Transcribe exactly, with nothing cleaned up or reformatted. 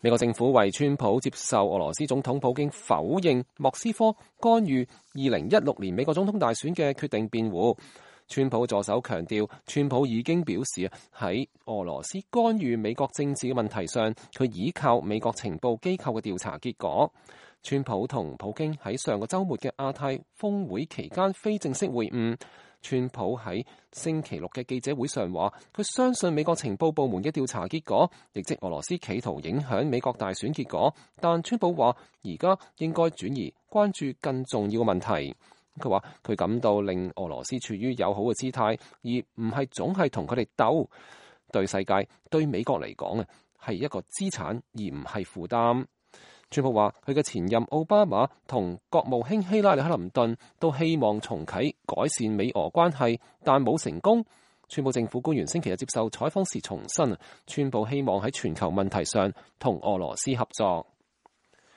美國政府為川普接受俄羅斯總統普京否認莫斯科干預二零一六年美國總統大選嘅決定辯護。川普助手強調，川普已經表示喺俄羅斯干預美國政治嘅問題上，佢依靠美國情報機構嘅調查結果。川普同普京喺上個週末嘅亞太峰會期間非正式會晤。川普喺星期六嘅記者會上話，佢相信美國情報部門嘅調查結果，亦即俄羅斯企圖影響美國大選結果。但川普話，而家應該轉移關注更重要嘅問題。佢話佢感到令俄羅斯處於友好嘅姿態，而唔係總係同佢哋鬥。對世界、對美國嚟講啊，係一個資產，而唔係負擔。川普話：佢嘅前任奧巴馬同國務卿希拉里克林頓都希望重啟改善美俄關係，但冇成功。川普政府官員星期日接受採訪時重申，川普希望喺全球問題上同俄羅斯合作。